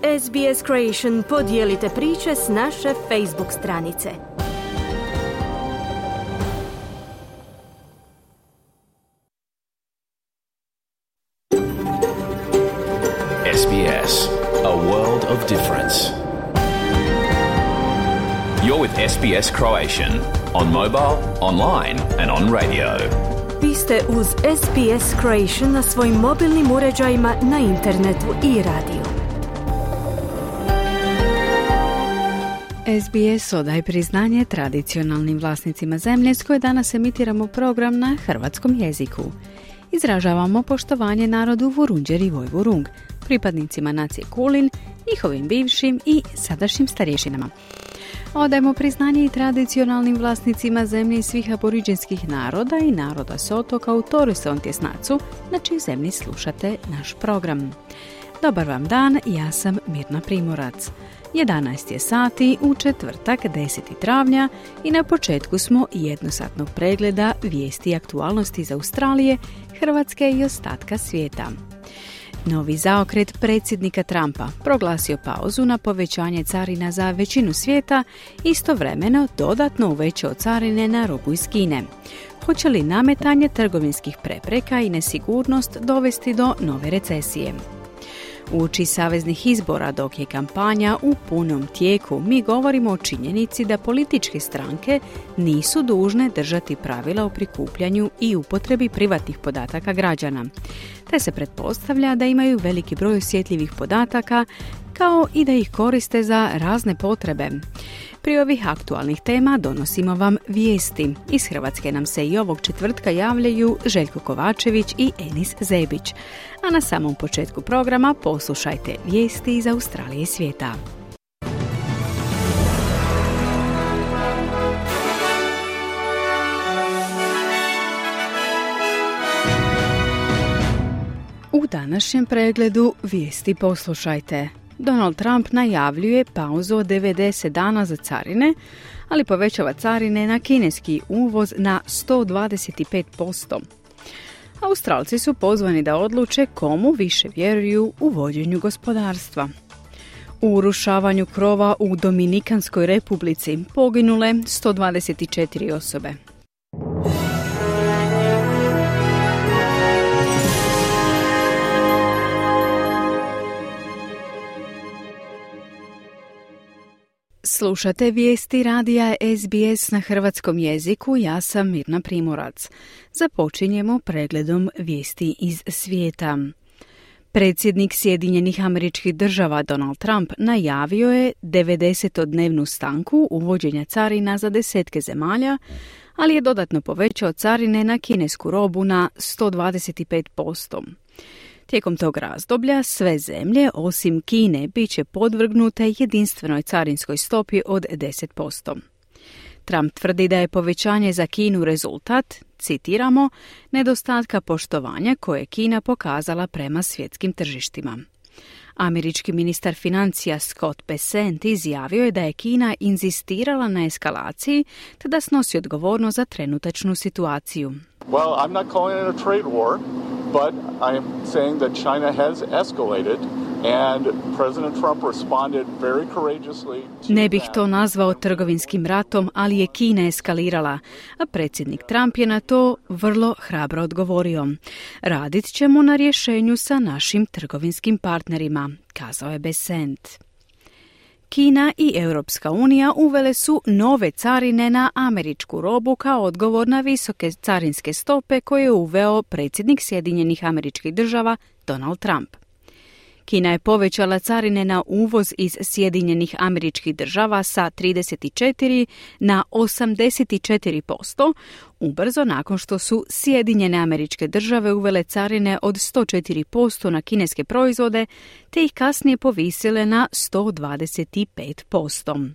SBS Creation podijelite priče s naše Facebook stranice. SBS, a world of difference. You're with SBS Croatian on mobile, online and on radio. Vi ste uz SBS Creation na svojim mobilnim uređajima, na internetu i radiju. SBS odaje priznanje tradicionalnim vlasnicima zemlje s koje danas emitiramo program na hrvatskom jeziku. Izražavamo poštovanje narodu Vurundjer i Vojvurung, pripadnicima nacije Kulin, njihovim bivšim i sadašnjim starješinama. Odajemo priznanje i tradicionalnim vlasnicima zemlje svih aboriđinskih naroda i naroda s otoka u Torreson tjesnacu, na čijoj zemlji slušate naš program. Dobar vam dan, ja sam Mirna Primorac. 11 je sati u četvrtak 10. travnja i na početku smo jednosatnog pregleda vijesti i aktualnosti iz Australije, Hrvatske i ostatka svijeta. Novi zaokret predsjednika Trumpa proglasio pauzu na povećanje carina za većinu svijeta, istovremeno dodatno uvećao carine na robu iz Kine. Hoće li nametanje trgovinskih prepreka i nesigurnost dovesti do nove recesije? Uoči saveznih izbora, dok je kampanja u punom tijeku, mi govorimo o činjenici da političke stranke nisu dužne držati pravila o prikupljanju i upotrebi privatnih podataka građana, te se pretpostavlja da imaju veliki broj osjetljivih podataka, kao i da ih koriste za razne potrebe. Pri ovih aktualnih tema donosimo vam vijesti. Iz Hrvatske nam se i ovog četvrtka javljaju Željko Kovačević i Enis Zebić. A na samom početku programa poslušajte vijesti iz Australije i svijeta. U današnjem pregledu vijesti poslušajte. Donald Trump najavljuje pauzu od 90 dana za carine, ali povećava carine na kineski uvoz na 125%. Australci su pozvani da odluče komu više vjeruju u vođenju gospodarstva. U urušavanju krova u Dominikanskoj republici poginule 124 osobe. Slušate vijesti radija SBS na hrvatskom jeziku, ja sam Mirna Primorac. Započinjemo pregledom vijesti iz svijeta. Predsjednik Sjedinjenih Američkih Država Donald Trump najavio je 90-dnevnu stanku uvođenja carina za desetke zemalja, ali je dodatno povećao carine na kinesku robu na 125%. Tijekom tog razdoblja sve zemlje, osim Kine, bit će podvrgnute jedinstvenoj carinskoj stopi od 10%. Trump tvrdi da je povećanje za Kinu rezultat, citiramo, nedostatka poštovanja koje je Kina pokazala prema svjetskim tržištima. Američki ministar financija Scott Bessent izjavio je da je Kina inzistirala na eskalaciji te da snosi odgovornost za trenutačnu situaciju. Well, I'm not calling it a trade war, but I'm saying that China has escalated and President Trump responded very courageously to Ne bih to nazvao trgovinskim ratom, ali je Kina eskalirala, a predsjednik Trump je na to vrlo hrabro odgovorio. Radit ćemo na rješenju sa našim trgovinskim partnerima, kazao je Bessent. Kina i Europska unija uvele su nove carine na američku robu kao odgovor na visoke carinske stope koje je uveo predsjednik Sjedinjenih Američkih Država Donald Trump. Kina je povećala carine na uvoz iz Sjedinjenih Američkih Država sa 34 na 84%, ubrzo nakon što su Sjedinjene Američke Države uvele carine od 104% na kineske proizvode, te ih kasnije povisile na 125%.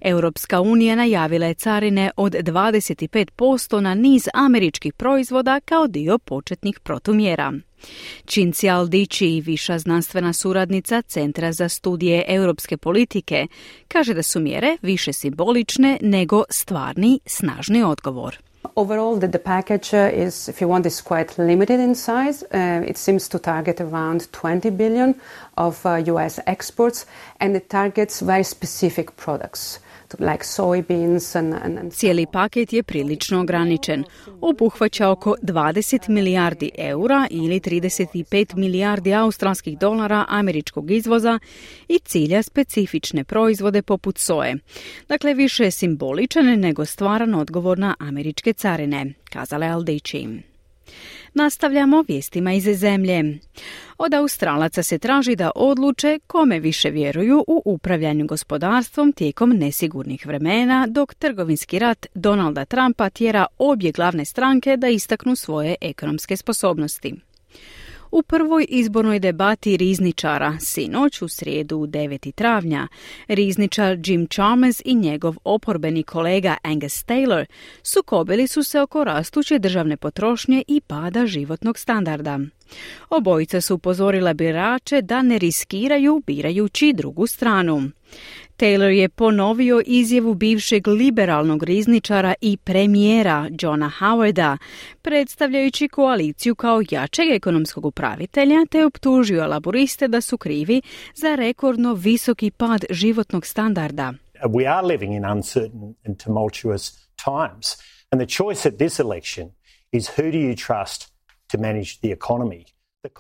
Europska unija najavila je carine od 25% na niz američkih proizvoda kao dio početnih protumjera. Cinzia Aldici, viša znanstvena suradnica Centra za studije europske politike, kaže da su mjere više simbolične nego stvarni, snažni odgovor. Overall, the package is, if you want, is quite limited in size. It seems to target around 20 billion of US exports, and it targets very specific products. Like soybeans and... Cijeli paket je prilično ograničen. Obuhvaća oko 20 milijardi eura ili 35 milijardi australskih dolara američkog izvoza i cilja specifične proizvode poput soje. Dakle, više je simboličan nego stvaran odgovor na američke carine, kazala je Al-Dichi. Nastavljamo vijestima iz zemlje. Od Australaca se traži da odluče kome više vjeruju u upravljanju gospodarstvom tijekom nesigurnih vremena, dok trgovinski rat Donalda Trumpa tjera obje glavne stranke da istaknu svoje ekonomske sposobnosti. U prvoj izbornoj debati rizničara, sinoć u srijedu 9. travnja, rizničar Jim Chalmers i njegov oporbeni kolega Angus Taylor sukobili su se oko rastuće državne potrošnje i pada životnog standarda. Obojica su upozorila birače da ne riskiraju birajući drugu stranu. Taylor je ponovio izjavu bivšeg liberalnog rizničara i premijera Johna Howarda, predstavljajući koaliciju kao jačeg ekonomskog upravitelja, te optužio laboriste da su krivi za rekordno visoki pad životnog standarda. We are living in uncertain and tumultuous times, and the choice at this election is who do you trust to manage the economy.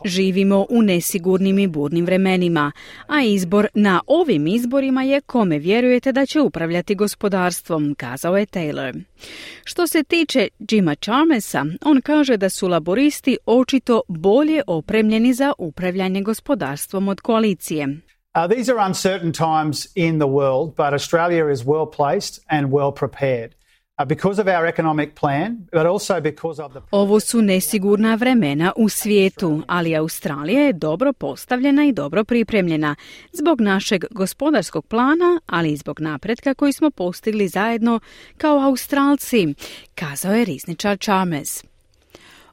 Živimo u nesigurnim i burnim vremenima, a izbor na ovim izborima je kome vjerujete da će upravljati gospodarstvom, kazao je Taylor. Što se tiče Jima Chalmersa, on kaže da su laboristi očito bolje opremljeni za upravljanje gospodarstvom od koalicije. These are uncertain times in the world, but Australia is well placed and well prepared. Because of our economic plan, but also because of the... Ovo su nesigurna vremena u svijetu, ali Australija je dobro postavljena i dobro pripremljena zbog našeg gospodarskog plana, ali i zbog napretka koji smo postigli zajedno kao Australci, kazao je rizničar Chalmers.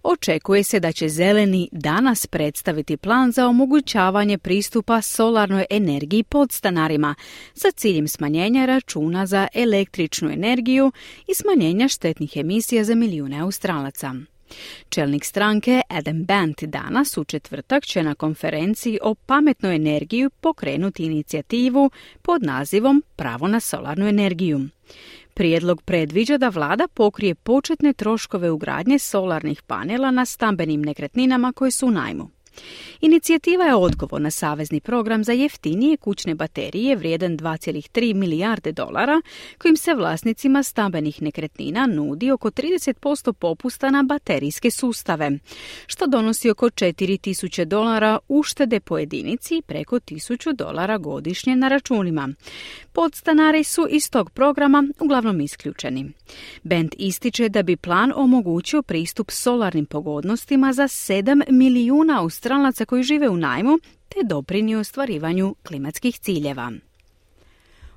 Očekuje se da će Zeleni danas predstaviti plan za omogućavanje pristupa solarnoj energiji podstanarima sa ciljem smanjenja računa za električnu energiju i smanjenja štetnih emisija za milijune Australaca. Čelnik stranke Adam Bandt danas u četvrtak će na konferenciji o pametnoj energiji pokrenuti inicijativu pod nazivom Pravo na solarnu energiju. Prijedlog predviđa da vlada pokrije početne troškove ugradnje solarnih panela na stambenim nekretninama koje su u najmu. Inicijativa je odgovor na savezni program za jeftinije kućne baterije vrijedan 2,3 milijarde dolara, kojim se vlasnicima stambenih nekretnina nudi oko 30% popusta na baterijske sustave, što donosi oko $4.000 uštede po jedinici i preko $1.000 godišnje na računima. Podstanari su iz tog programa uglavnom isključeni. Band ističe da bi plan omogućio pristup solarnim pogodnostima za 7 milijuna Australaca koji žive u najmu, te doprinio ostvarivanju klimatskih ciljeva.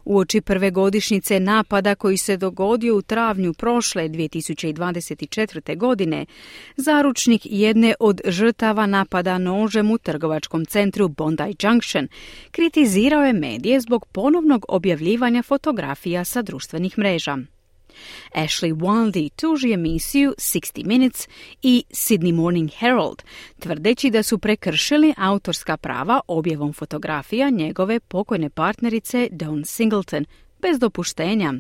Uoči prve godišnjice napada koji se dogodio u travnju prošle 2024. godine, zaručnik jedne od žrtava napada nožem u trgovačkom centru Bondi Junction kritizirao je medije zbog ponovnog objavljivanja fotografija sa društvenih mreža. Ashley Waldy tuži emisiju 60 Minutes i Sydney Morning Herald, tvrdeći da su prekršili autorska prava objavom fotografija njegove pokojne partnerice Dawn Singleton, bez dopuštenja.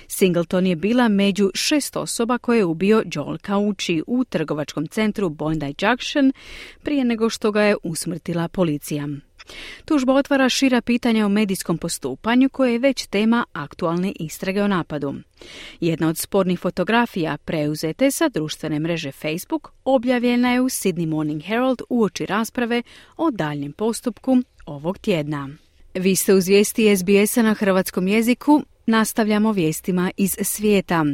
Singleton je bila među 6 osoba koje je ubio Joel Kauchi u trgovačkom centru Bondi Junction prije nego što ga je usmrtila policija. Tužba otvara šira pitanja o medijskom postupanju koje je već tema aktualne istrage o napadu. Jedna od spornih fotografija preuzete sa društvene mreže Facebook objavljena je u Sydney Morning Herald uoči rasprave o daljnjem postupku ovog tjedna. Vi ste uz vijesti SBS-a na hrvatskom jeziku. Nastavljamo vijestima iz svijeta.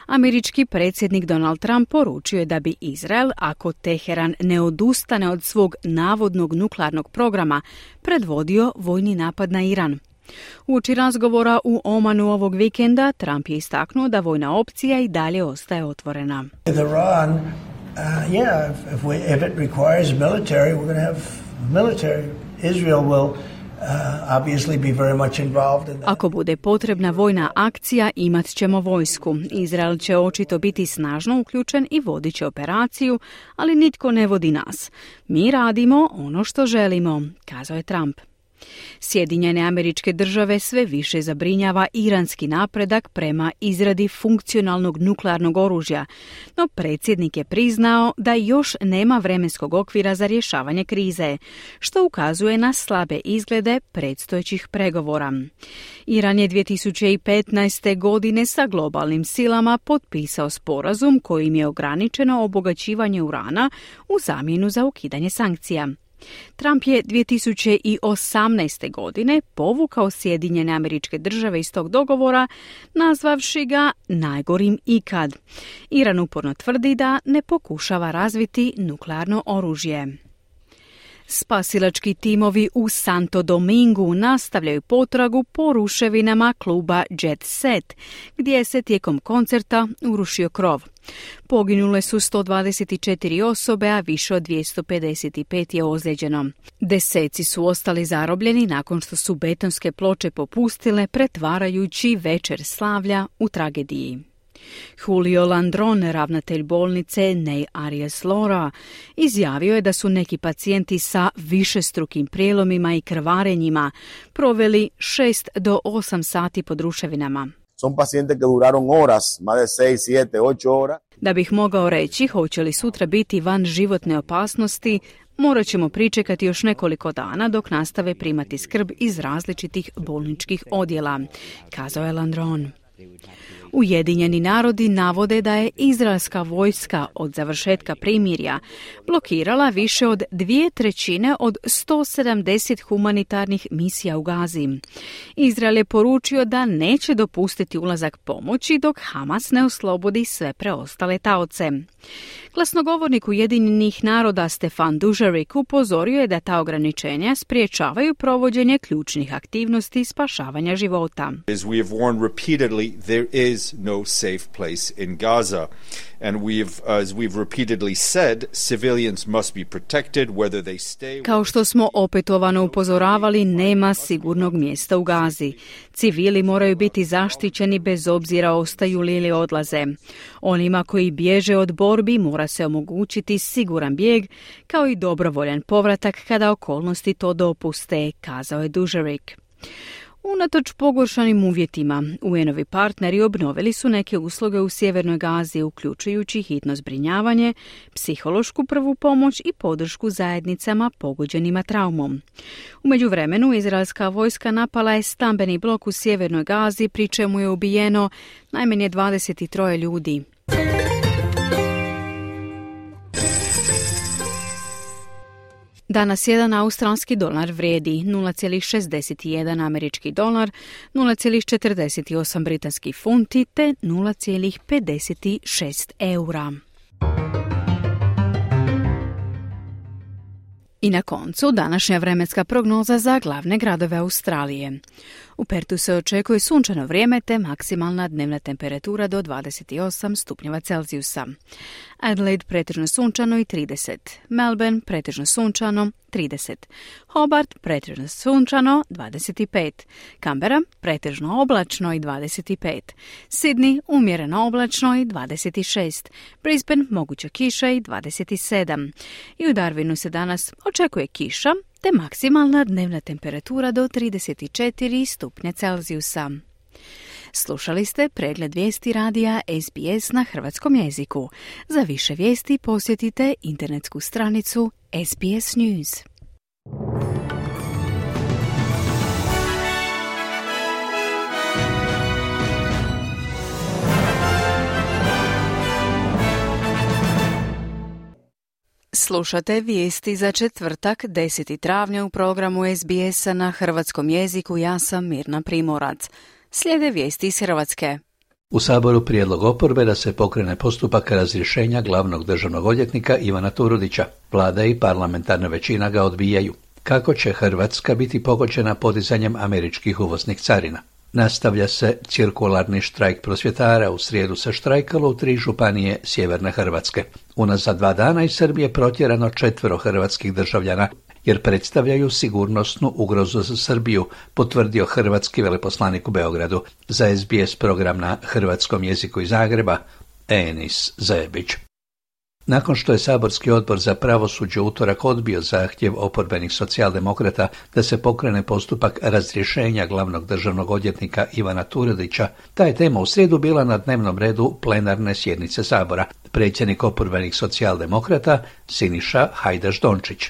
Američki predsjednik Donald Trump poručio je da bi Izrael, ako Teheran ne odustane od svog navodnog nuklearnog programa, predvodio vojni napad na Iran. Uoči razgovora u Omanu ovog vikenda, Trump je istaknuo da vojna opcija i dalje ostaje otvorena. Iran, if it requires military, we're going to have military. Israel will obviously be very much involved in that. Ako bude potrebna vojna akcija, imat ćemo vojsku. Izrael će očito biti snažno uključen i vodit će operaciju, ali nitko ne vodi nas. Mi radimo ono što želimo, kazao je Trump. Sjedinjene Američke Države sve više zabrinjava iranski napredak prema izradi funkcionalnog nuklearnog oružja, no predsjednik je priznao da još nema vremenskog okvira za rješavanje krize, što ukazuje na slabe izglede predstojećih pregovora. Iran je 2015. godine sa globalnim silama potpisao sporazum kojim je ograničeno obogaćivanje urana u zamjenu za ukidanje sankcija. Trump je 2018. godine povukao Sjedinjene Američke Države iz tog dogovora, nazvavši ga najgorim ikad. Iran uporno tvrdi da ne pokušava razviti nuklearno oružje. Spasilački timovi u Santo Domingu nastavljaju potragu po ruševinama kluba Jet Set, gdje se tijekom koncerta urušio krov. Poginule su 124 osobe, a više od 255 je ozlijeđeno. Deseci su ostali zarobljeni nakon što su betonske ploče popustile, pretvarajući večer slavlja u tragediji. Julio Landron, ravnatelj bolnice Ney Arias Lora, izjavio je da su neki pacijenti sa višestrukim prijelomima i krvarenjima proveli 6 do 8 sati pod ruševinama. Son pacientes que duraron horas, más de 6, 7, 8 horas. Da bih mogao reći hoće li sutra biti van životne opasnosti, morat ćemo pričekati još nekoliko dana dok nastave primati skrb iz različitih bolničkih odjela, kazao je Landron. Ujedinjeni narodi navode da je izraelska vojska od završetka primirja blokirala više od 2/3 od 170 humanitarnih misija u Gazi. Izrael je poručio da neće dopustiti ulazak pomoći dok Hamas ne oslobodi sve preostale taoce. Glasnogovornik Ujedinjenih naroda Stefan Dujarric upozorio je da ta ograničenja spriječavaju provođenje ključnih aktivnosti spašavanja života. As we have warned repeatedly, there is no safe place in Gaza. And as we've repeatedly said, civilians must be protected whether they stay. Kao što smo opetovano upozoravali, nema sigurnog mjesta u Gazi. Civili moraju biti zaštićeni bez obzira ostaju li ili odlaze. Onima koji bježe od borbi mora se omogućiti siguran bijeg, kao i dobrovoljan povratak kada okolnosti to dopuste, kazao je Dujarric. Unatoč pogoršanim uvjetima, UN-ovi partneri obnovili su neke usluge u sjevernoj Gazi, uključujući hitno zbrinjavanje, psihološku prvu pomoć i podršku zajednicama pogođenima traumom. U međuvremenu, izraelska vojska napala je stambeni blok u sjevernoj Gazi, pri čemu je ubijeno najmanje 23 ljudi. Danas jedan australski dolar vrijedi 0,61 američki dolar, 0,48 britanski funti te 0,56 eura. I na koncu današnja vremenska prognoza za glavne gradove Australije. U Pertu se očekuje sunčano vrijeme te maksimalna dnevna temperatura do 28 stupnjeva Celzijusa. Adelaide pretežno sunčano i 30. Melbourne pretežno sunčano 30. Hobart pretežno sunčano 25. Canberra pretežno oblačno i 25. Sydney umjereno oblačno i 26. Brisbane moguća kiša i 27. I u Darwinu se danas očekuje kiša te maksimalna dnevna temperatura do 34 stupnja Celzijusa. Slušali ste pregled vijesti radija SBS na hrvatskom jeziku. Za više vijesti posjetite internetsku stranicu SBS News. Slušate vijesti za četvrtak 10. travnja u programu SBS-a na hrvatskom jeziku. Ja sam Mirna Primorac. Slijede vijesti iz Hrvatske. U Saboru prijedlog oporbe da se pokrene postupak razrješenja glavnog državnog odvjetnika Ivana Turudića. Vlada i parlamentarna većina ga odbijaju. Kako će Hrvatska biti pogođena podizanjem američkih uvoznih carina? Nastavlja se cirkularni štrajk prosvjetara. U srijedu se štrajkalo u 3 županije sjeverne Hrvatske. Unazad 2 dana iz Srbije protjerano 4 hrvatskih državljana. jer predstavljaju sigurnosnu ugrozu za Srbiju, potvrdio hrvatski veleposlanik u Beogradu za SBS program na hrvatskom jeziku iz Zagreba, Enis Zebić. Nakon što je saborski odbor za pravosuđe utorak odbio zahtjev oporbenih socijaldemokrata da se pokrene postupak razrješenja glavnog državnog odvjetnika Ivana Turudića, ta je tema u srijedu bila na dnevnom redu plenarne sjednice Sabora. Predsjednik oporbenih socijaldemokrata Siniša Hajdaš Dončić.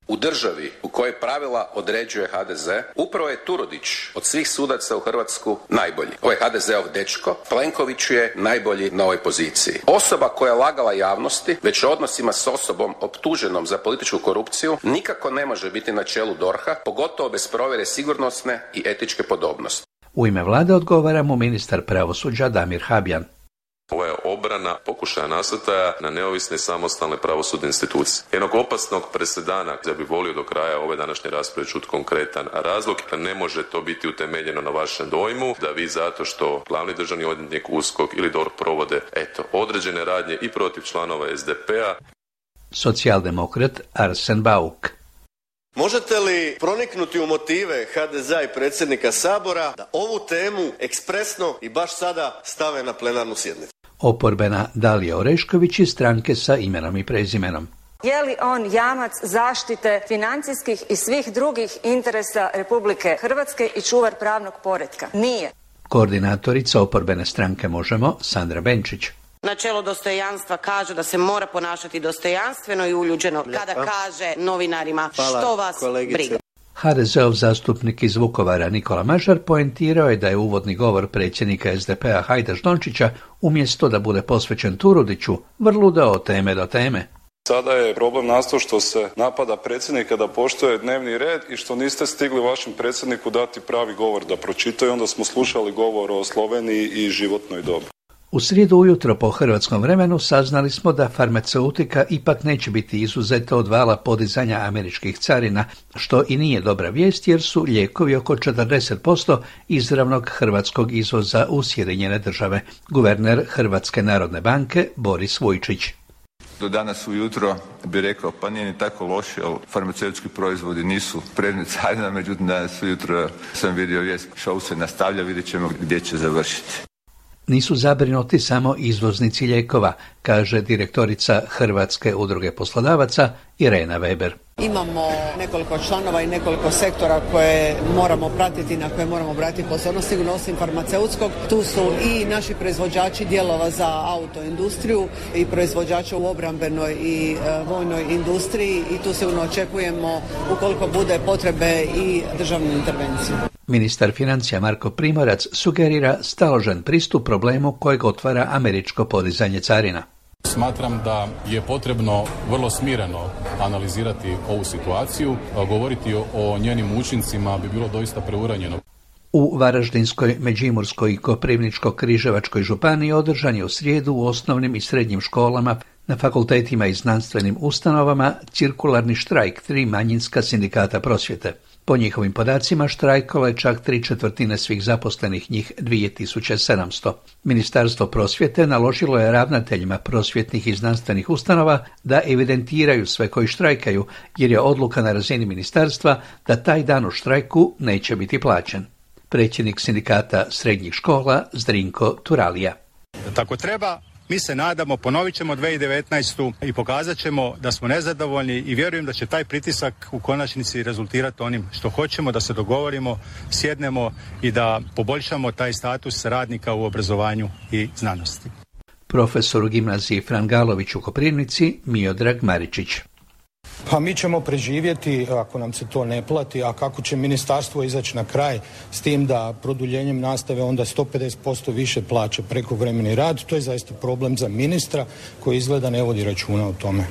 U državi u kojoj pravila određuje HDZ, upravo je Turudić od svih sudaca u Hrvatsku najbolji. Ovo je HDZ-ov dečko, Plenković je najbolji na ovoj poziciji. Osoba koja je lagala javnosti, već o odnosima s osobom optuženom za političku korupciju, nikako ne može biti na čelu DORH-a, pogotovo bez provjere sigurnosne i etičke podobnosti. U ime vlade odgovara mu ministar pravosuđa Damir Habjan. Ovo je obrana pokušaja nasrtaja na neovisne i samostalne pravosudne institucije. Jednog opasnog presedana, ja bih volio do kraja ove današnje rasprave čuti konkretan razlog, da ne može to biti utemeljeno na vašem dojmu, da vi zato što glavni državni odvjetnik, USKOK ili DORH provode određene radnje i protiv članova SDP-a. Socijaldemokrat Arsen Bauk. Možete li proniknuti u motive HDZ-a i predsjednika Sabora da ovu temu ekspresno i baš sada stave na plenarnu sjednicu? Oporbena Dalija Orešković iz stranke sa imenom i prezimenom. Je li on jamac zaštite financijskih i svih drugih interesa Republike Hrvatske i čuvar pravnog poretka? Nije. Koordinatorica oporbene stranke Možemo, Sandra Benčić. Načelo dostojanstva kaže da se mora ponašati dostojanstveno i uljuđeno kada kaže novinarima što vas briga. HDZ-ov zastupnik iz Vukovara Nikola Mažar poentirao je da je uvodni govor predsjednika SDP-a Hajdaš Dončića, umjesto da bude posvećen Turudiću, vrludao od teme do teme. Sada je problem nastao što se napada predsjednika da poštuje dnevni red i što niste stigli vašem predsjedniku dati pravi govor da pročitaju, onda smo slušali govor o Sloveniji i životnoj dobi. U srijedu ujutro po hrvatskom vremenu saznali smo da farmaceutika ipak neće biti izuzeta od vala podizanja američkih carina, što i nije dobra vijest jer su lijekovi oko 40% izravnog hrvatskog izvoza u Sjedinjene Države. Guverner Hrvatske narodne banke Boris Vujčić. Do danas ujutro bi rekao pa nije ni tako loše, jer farmaceutski proizvodi nisu predmet carina, međutim danas ujutro sam vidio vijest, show se nastavlja, vidjet ćemo gdje će završiti. Nisu zabrinuti samo izvoznici lijekova, kaže direktorica Hrvatske udruge poslodavaca Irena Weber. Imamo nekoliko članova i nekoliko sektora koje moramo pratiti, na koje moramo obratiti pozornost, sigurno osim farmaceutskog. Tu su i naši proizvođači dijelova za autoindustriju i proizvođači u obrambenoj i vojnoj industriji i tu sigurno očekujemo ukoliko bude potrebe i državnu intervenciju. Ministar financija Marko Primorac sugerira staložen pristup problemu kojeg otvara američko podizanje carina. Smatram da je potrebno vrlo smireno analizirati ovu situaciju, govoriti o njenim učincima bi bilo doista preuranjeno. U Varaždinskoj, Međimurskoj i Koprivničko-križevačkoj županiji održan je u srijedu u osnovnim i srednjim školama, na fakultetima i znanstvenim ustanovama cirkularni štrajk 3 manjinska sindikata prosvjete. Po njihovim podacima štrajkalo je čak 3/4 svih zaposlenih, njih 2700. Ministarstvo prosvjete naložilo je ravnateljima prosvjetnih i znanstvenih ustanova da evidentiraju sve koji štrajkaju, jer je odluka na razini ministarstva da taj dan u štrajku neće biti plaćen. Predsjednik sindikata srednjih škola Zdrinko Turalija. Tako treba, mi se nadamo, ponovit ćemo 2019. i pokazat ćemo da smo nezadovoljni i vjerujem da će taj pritisak u konačnici rezultirati onim što hoćemo, da se dogovorimo, sjednemo i da poboljšamo taj status radnika u obrazovanju i znanosti. Profesor u gimnaziji Fran Galović u Koprivnici Miodrag Maričić. Pa mi ćemo preživjeti ako nam se to ne plati, a kako će ministarstvo izaći na kraj s tim da produljenjem nastave onda 150% više plaća prekovremeni rad, to je zaista problem za ministra koji izgleda ne vodi računa o tome.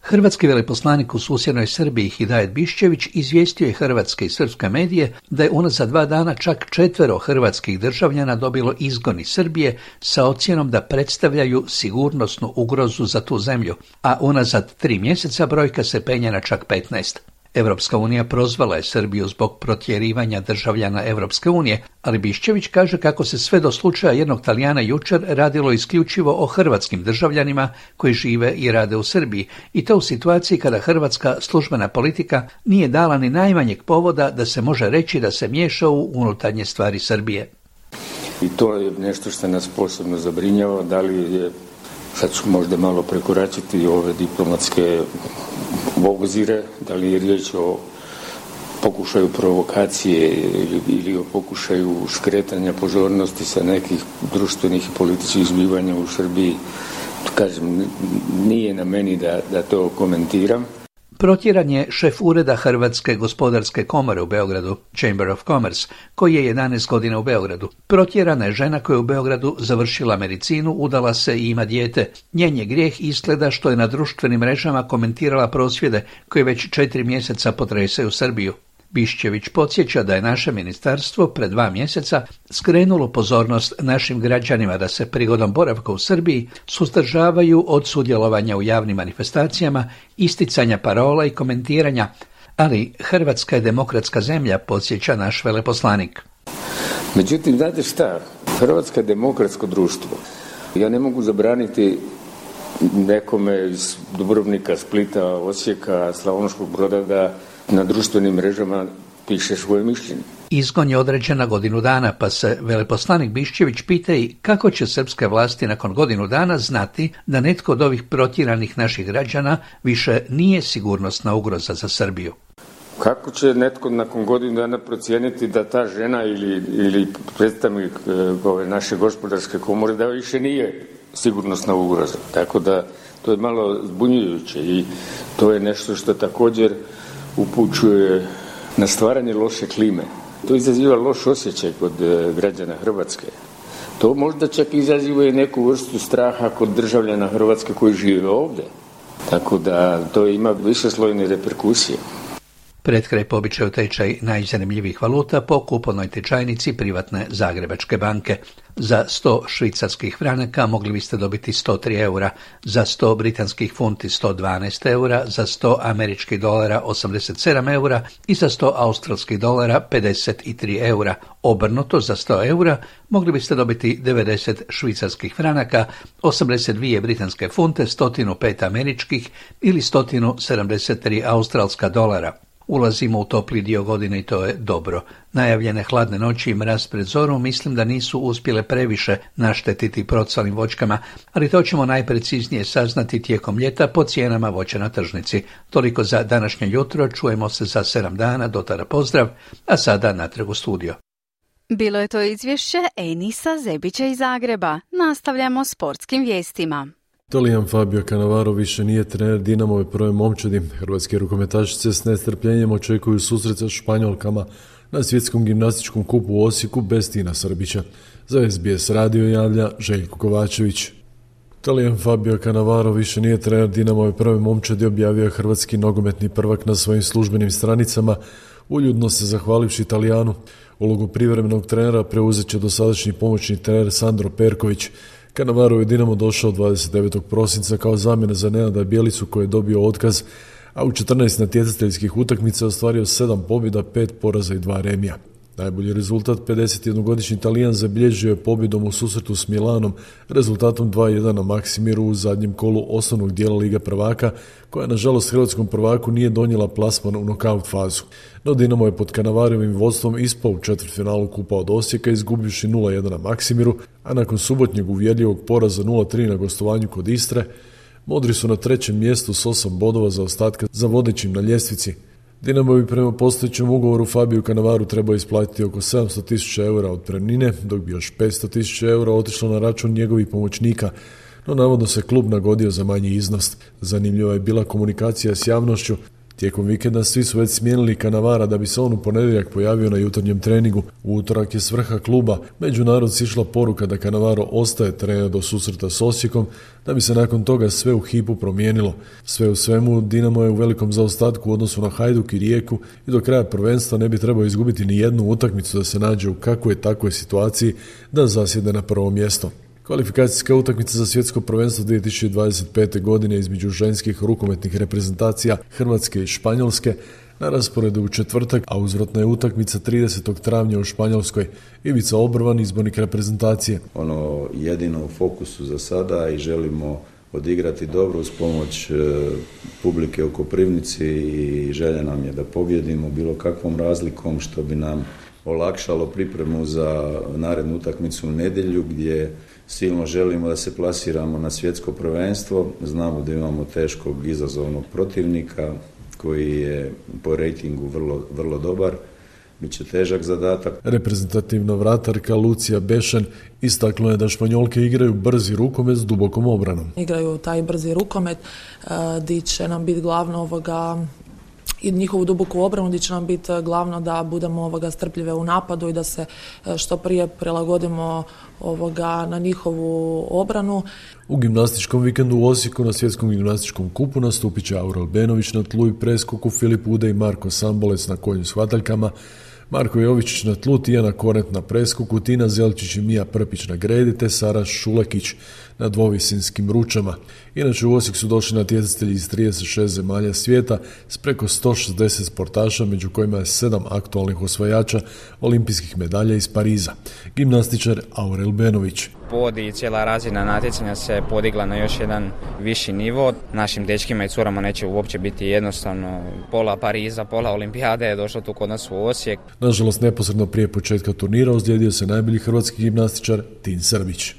Hrvatski veleposlanik u susjednoj Srbiji Hidajet Biščević izvijestio je hrvatske i srpske medije da je unazad 2 dana čak 4 hrvatskih državljana dobilo izgon iz Srbije sa ocjenom da predstavljaju sigurnosnu ugrozu za tu zemlju, a unazad 3 mjeseca brojka se penje na čak 15. Europska unija prozvala je Srbiju zbog protjerivanja državljana Europske unije, ali Biščević kaže kako se sve do slučaja jednog Talijana jučer radilo isključivo o hrvatskim državljanima koji žive i rade u Srbiji, i to u situaciji kada hrvatska službena politika nije dala ni najmanjeg povoda da se može reći da se miješa u unutarnje stvari Srbije. I to je nešto što nas posebno zabrinjava, da li je, sad ću možda malo prekoračiti ove diplomatske obzire, da li je riječ o pokušaju provokacije ili o pokušaju skretanja pozornosti sa nekih društvenih i političkih zbivanja u Srbiji. Kažem, nije na meni da to komentiram. Protjeran je šef ureda Hrvatske gospodarske komore u Beogradu, Chamber of Commerce, koji je 11 godina u Beogradu. Protjerana je žena koja je u Beogradu završila medicinu, udala se i ima dijete. Njen je grijeh izgleda što je na društvenim mrežama komentirala prosvjede koje već 4 mjeseca potresaju Srbiju. Biščević podsjeća da je naše ministarstvo pred 2 mjeseca skrenulo pozornost našim građanima da se prigodom boravka u Srbiji suzdržavaju od sudjelovanja u javnim manifestacijama, isticanja parola i komentiranja, ali Hrvatska je demokratska zemlja, podsjeća naš veleposlanik. Međutim, znate šta? Hrvatska je demokratsko društvo. Ja ne mogu zabraniti nekome iz Dubrovnika, Splita, Osijeka, Slavonskog Broda da na društvenim mrežama piše svoje mišljenje. Izgon je određen na godinu dana, pa se veleposlanik Biščević pita i kako će srpske vlasti nakon godinu dana znati da netko od ovih protjeranih naših građana više nije sigurnosna ugroza za Srbiju. Kako će netko nakon godinu dana procijeniti da ta žena ili predstavnik ove naše gospodarske komore da više nije sigurnosna ugroza? Tako da to je malo zbunjujuće i to je nešto što također upućuje na stvaranje loše klime. To izaziva loš osjećaj kod građana Hrvatske. To možda čak izaziva i neku vrstu straha kod državljana Hrvatske koji žive ovdje. Tako da to ima višeslojne reperkusije. Pred kraj po običaju tečaj najzanimljivijih valuta po kupovnoj tečajnici privatne Zagrebačke banke. Za 100 švicarskih franaka mogli biste dobiti 103 eura, za 100 britanskih funti 112 eura, za 100 američkih dolara 87 eura i za 100 australskih dolara 53 eura. Obrnuto, za 100 eura mogli biste dobiti 90 švicarskih franaka, 82 britanske funte, 105 američkih ili 173 australska dolara. Ulazimo u topli dio godine i to je dobro. Najavljene hladne noći i mraz pred zoru mislim da nisu uspjele previše naštetiti procvalim voćkama, ali to ćemo najpreciznije saznati tijekom ljeta po cijenama voća na tržnici. Toliko za današnje jutro, čujemo se za 7 dana, do tada pozdrav, a sada natrag u studio. Bilo je to izvješće Enisa Zebića iz Zagreba. Nastavljamo sportskim vijestima. Talijan Fabio Cannavaro više nije trener Dinamove prve momčadi. Hrvatske rukometašice s nestrpljenjem očekuju susret sa Španjolkama na svjetskom gimnastičkom kupu u Osijeku bez Tina Srbića. Za SBS radio javlja Željko Kovačević. Talijan Fabio Cannavaro više nije trener Dinamove prve momčadi, objavio je hrvatski nogometni prvak na svojim službenim stranicama, uljudno se zahvalivši Talijanu. Ulogu privremenog trenera preuzet će dosadašnji pomoćni trener Sandro Perković. Cannavaro je Dinamo došao 29. prosinca kao zamjena za Nenada Bjelicu koji je dobio otkaz, a u 14 natjecateljskih utakmica ostvario 7 pobjeda, 5 poraza i 2 remija. Najbolji rezultat 51-godišnji Talijan zabilježio je pobjedom u susretu s Milanom, rezultatom 2-1 na Maksimiru u zadnjem kolu osnovnog dijela Lige prvaka, koja nažalost hrvatskom prvaku nije donijela plasman u nokaut fazu. No Dinamo je pod Cannavarovim vodstvom ispao u četvrtfinalu kupa od Osijeka, izgubivši 0-1 na Maksimiru, a nakon subotnjeg uvjerljivog poraza 0-3 na gostovanju kod Istre, Modri su na 3. mjestu s 8 bodova zaostatka za vodećim na ljestvici. Dinamo bi prema postojećem ugovoru Fabiju Cannavaru trebao isplatiti oko 700.000 eura otpremnine, dok bi još 500.000 eura otišlo na račun njegovih pomoćnika, no navodno se klub nagodio za manji iznos. Zanimljiva je bila komunikacija s javnošću. Tijekom vikenda svi su već smijenili Cannavara da bi se on u ponedjeljak pojavio na jutarnjem treningu. U utorak je s vrha kluba među narod sišla poruka da Cannavaro ostaje trener do susreta s Osijekom, da bi se nakon toga sve u hipu promijenilo. Sve u svemu, Dinamo je u velikom zaostatku u odnosu na Hajduk i Rijeku i do kraja prvenstva ne bi trebao izgubiti ni jednu utakmicu da se nađe u kakvoj takvoj situaciji da zasjede na prvo mjesto. Kvalifikacijska utakmica za svjetsko prvenstvo 2025. godine između ženskih rukometnih reprezentacija Hrvatske i Španjolske Na rasporedu u četvrtak, a uzvratna je utakmica 30. travnja u Španjolskoj. Ivica Obrvan, izbornik reprezentacije. Ono jedino u fokusu za sada i želimo odigrati dobro uz pomoć publike u Koprivnici i želja nam je da pobjedimo bilo kakvom razlikom što bi nam olakšalo pripremu za narednu utakmicu u nedjelju gdje silno želimo da se plasiramo na svjetsko prvenstvo. Znamo da imamo teškog izazovnog protivnika koji je po rejtingu vrlo dobar. Biće težak zadatak. Reprezentativna vratarka Lucija Bešen istakla je da Španjolke igraju brzi rukomet s dubokom obranom. Igraju taj brzi rukomet di će nam biti glavno i njihovu duboku obranu, gdje će nam biti glavno da budemo strpljive u napadu i da se što prije prilagodimo na njihovu obranu. U gimnastičkom vikendu u Osijeku na svjetskom gimnastičkom kupu nastupit će Aura Albenović na tlu i preskoku, Filip Ude i Marko Sambolec na konju s hvataljkama, Marko Jovičić na tlu, Tijana Korent na preskoku, Tina Zelčić i Mija Prpić na gredi, te Sara Šulekić na dvovisinskim ručama. Inače u Osijek su došli natjecatelji iz 36 zemalja svijeta s preko 160 sportaša, među kojima je 7 aktualnih osvajača olimpijskih medalja iz Pariza. Gimnastičar Aurel Benović. Pod i cijela razina natjecanja se podigla na još jedan viši nivo. Našim dečkima i curama neće uopće biti jednostavno. Pola Pariza, pola olimpijade je došlo tu kod nas u Osijek. Nažalost, neposredno prije početka turnira ozlijedio se najbolji hrvatski gimnastičar Tin Srbić.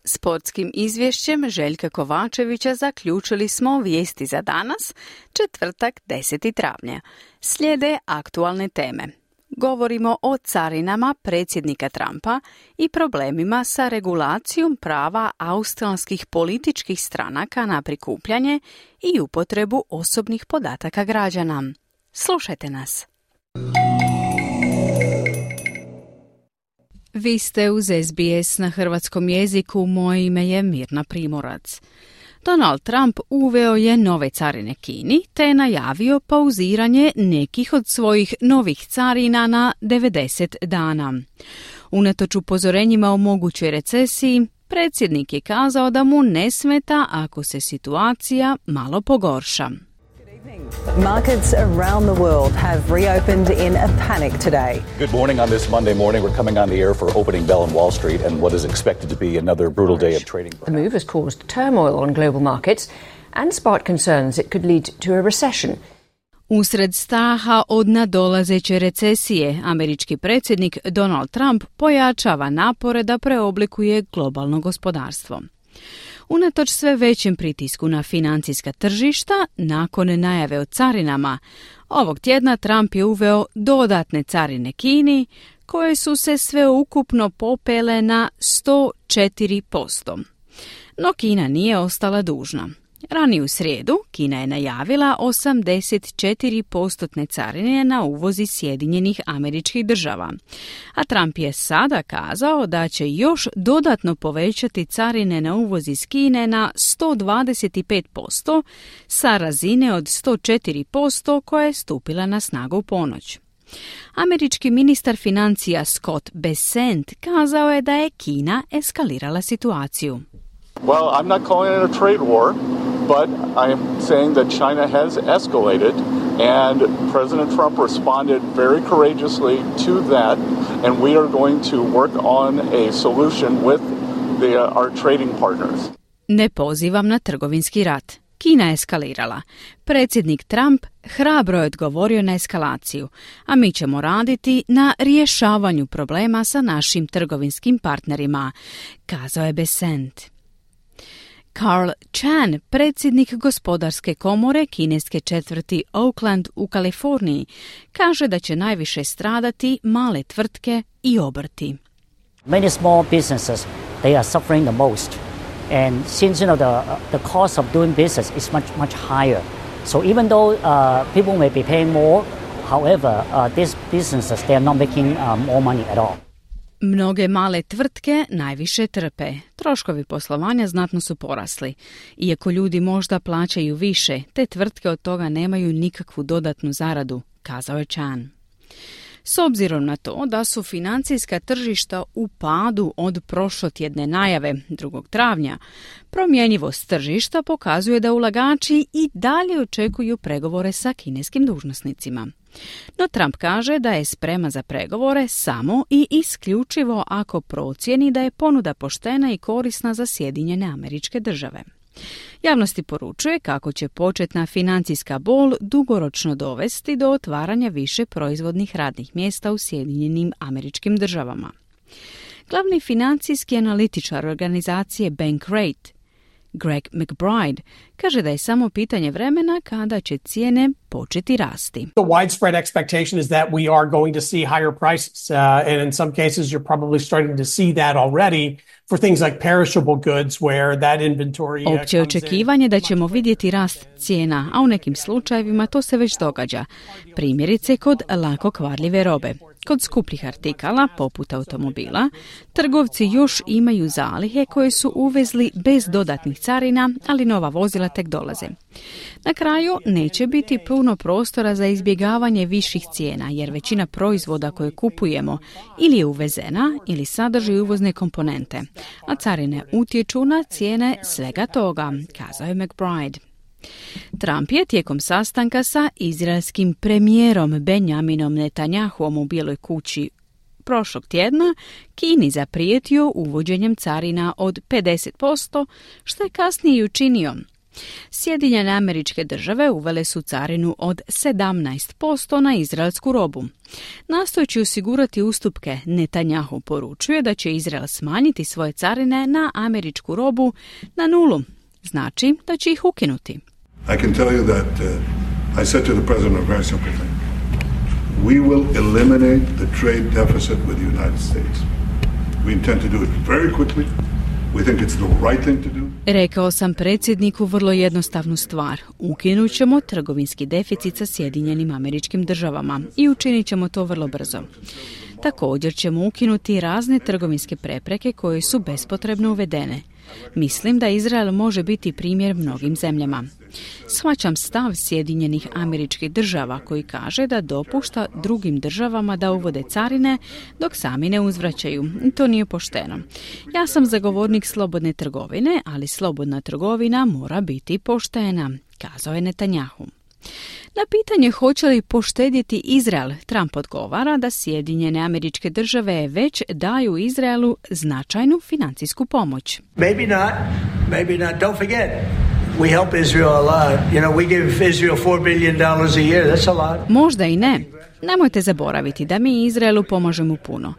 Sportskim izvješćem Željka Kovačevića zaključili smo vijesti za danas, četvrtak 10. travnja. Slijede aktualne teme. Govorimo o carinama predsjednika Trumpa i problemima sa regulacijom prava australskih političkih stranaka na prikupljanje i upotrebu osobnih podataka građana. Slušajte nas. Vi ste uz SBS na hrvatskom jeziku, moje ime je Mirna Primorac. Donald Trump uveo je nove carine Kini te je najavio pauziranje nekih od svojih novih carina na 90 dana. Unatoč upozorenjima o mogućoj recesiji, predsjednik je kazao da mu ne smeta ako se situacija malo pogorša. Markets around the world have reopened in a panic today. Good morning on this Monday morning. We're coming on the air for opening bell on Wall Street and what is expected to be another brutal day of trading. The move has caused turmoil on global markets and sparked concerns it could lead to a recession. Usred straha od nadolazeće recesije, američki predsjednik Donald Trump pojačava napore da preoblikuje globalno gospodarstvo. Unatoč sve većem pritisku na financijska tržišta, nakon najave o carinama, ovog tjedna Trump je uveo dodatne carine Kini, koje su se sveukupno popele na 104%. No Kina nije ostala dužna. Ranije u srijedu Kina je najavila 84% carine na uvoz iz Sjedinjenih Američkih Država, a Trump je sada kazao da će još dodatno povećati carine na uvoz iz Kine na 125% sa razine od 104% koja je stupila na snagu u ponoć. Američki ministar financija Scott Bessent kazao je da je Kina eskalirala situaciju. Well, I'm not calling it a trade war, but I am saying that China has escalated, and President Trump responded very courageously to that, and we are going to work on a solution with our trading partners. Ne pozivam na trgovinski rat. Kina je eskalirala. Predsjednik Trump hrabro je odgovorio na eskalaciju, a mi ćemo raditi na rješavanju problema sa našim trgovinskim partnerima, kazao je Bessent. Carl Chan, predsjednik gospodarske komore kineske četvrti Oakland u Kaliforniji, kaže da će najviše stradati male tvrtke i obrti. Many small businesses, they are suffering the most. And since the cost of doing business is much higher. So even though people may be paying more, however, these businesses, they are not making more money at all. Mnoge male tvrtke najviše trpe. Troškovi poslovanja znatno su porasli. Iako ljudi možda plaćaju više, te tvrtke od toga nemaju nikakvu dodatnu zaradu, kazao je Chan. S obzirom na to da su financijska tržišta u padu od prošlotjedne najave 2. travnja, promjenjivost tržišta pokazuje da ulagači i dalje očekuju pregovore sa kineskim dužnosnicima. No Trump kaže da je spreman za pregovore samo i isključivo ako procijeni da je ponuda poštena i korisna za Sjedinjene Američke Države. Javnosti poručuje kako će početna financijska bol dugoročno dovesti do otvaranja više proizvodnih radnih mjesta u Sjedinjenim Američkim Državama. Glavni financijski analitičar organizacije Bankrate, Greg McBride, kaže da je samo pitanje vremena kada će cijene početi rasti. The widespread expectation is that we are going to see higher prices, and in some cases you're probably starting to see that already for things like perishable goods where that inventory Opće očekivanje da ćemo vidjeti rast cijena, a u nekim slučajevima to se već događa. Primjerice kod lako kvarljive robe. Kod skupljih artikala, poput automobila, trgovci još imaju zalihe koje su uvezli bez dodatnih carina, ali nova vozila tek dolaze. Na kraju neće biti puno prostora za izbjegavanje viših cijena, jer većina proizvoda koje kupujemo ili je uvezena ili sadrži uvozne komponente, a carine utječu na cijene svega toga, kazao je McBride. Trump je tijekom sastanka sa izraelskim premijerom Benjaminom Netanjahuom u Bijeloj kući prošlog tjedna Kini zaprijetio uvođenjem carina od 50%, što je kasnije i učinio. Sjedinjene Američke Države uvele su carinu od 17% na izraelsku robu. Nastojeći osigurati ustupke, Netanjahu poručuje da će Izrael smanjiti svoje carine na američku robu na 0. Znači da će ih ukinuti. I can tell you that I said to the president a very simple thing. We will eliminate the trade deficit with the United States. We intend to do it very quickly. We think it's the right thing to do. Rekao sam predsjedniku vrlo jednostavnu stvar. Ukinut ćemo trgovinski deficit sa Sjedinjenim Američkim Državama i učinit ćemo to vrlo brzo. Također ćemo ukinuti razne trgovinske prepreke koje su bespotrebno uvedene. Mislim da Izrael može biti primjer mnogim zemljama. Shvaćam stav Sjedinjenih Američkih Država koji kaže da dopušta drugim državama da uvode carine dok sami ne uzvraćaju. To nije pošteno. Ja sam zagovornik slobodne trgovine, ali slobodna trgovina mora biti poštena, kazao je Netanjahu. Na pitanje hoće li poštedjeti Izrael, Trump odgovara da Sjedinjene Američke Države već daju Izraelu značajnu financijsku pomoć. Maybe not. Don't forget. We help Israel a lot. You know, we give Israel $4 billion a year. That's a lot. Možda i ne. Nemojte zaboraviti da mi Izraelu pomažemo puno.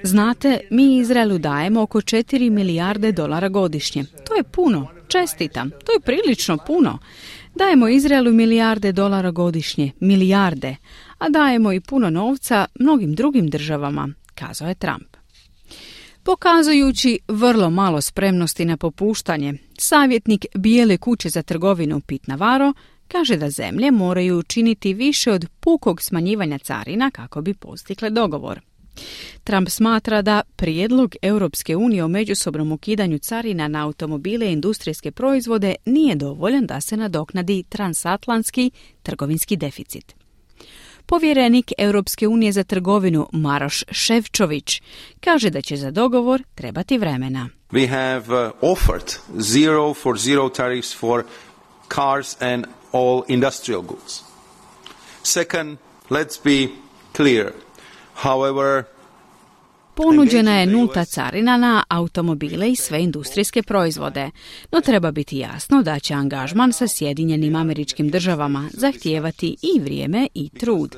Znate, mi Izraelu dajemo oko $4 milijarde godišnje. To je puno. Čestitam. To je prilično puno. Dajemo Izraelu milijarde dolara godišnje, milijarde, a dajemo i puno novca mnogim drugim državama, kazao je Trump. Pokazujući vrlo malo spremnosti na popuštanje, savjetnik Bijele kuće za trgovinu Pete Navarro kaže da zemlje moraju učiniti više od pukog smanjivanja carina kako bi postigli dogovor. Trump smatra da prijedlog Europske unije o međusobnom ukidanju carina na automobile i industrijske proizvode nije dovoljan da se nadoknadi transatlantski trgovinski deficit. Povjerenik Europske unije za trgovinu Maroš Šefčović kaže da će za dogovor trebati vremena. We have offered zero tariffs for cars and all industrial goods. Second, let's be clear. However, ponuđena je nulta carina na automobile i sve industrijske proizvode, no treba biti jasno da će angažman sa Sjedinjenim Američkim Državama zahtijevati i vrijeme i trud.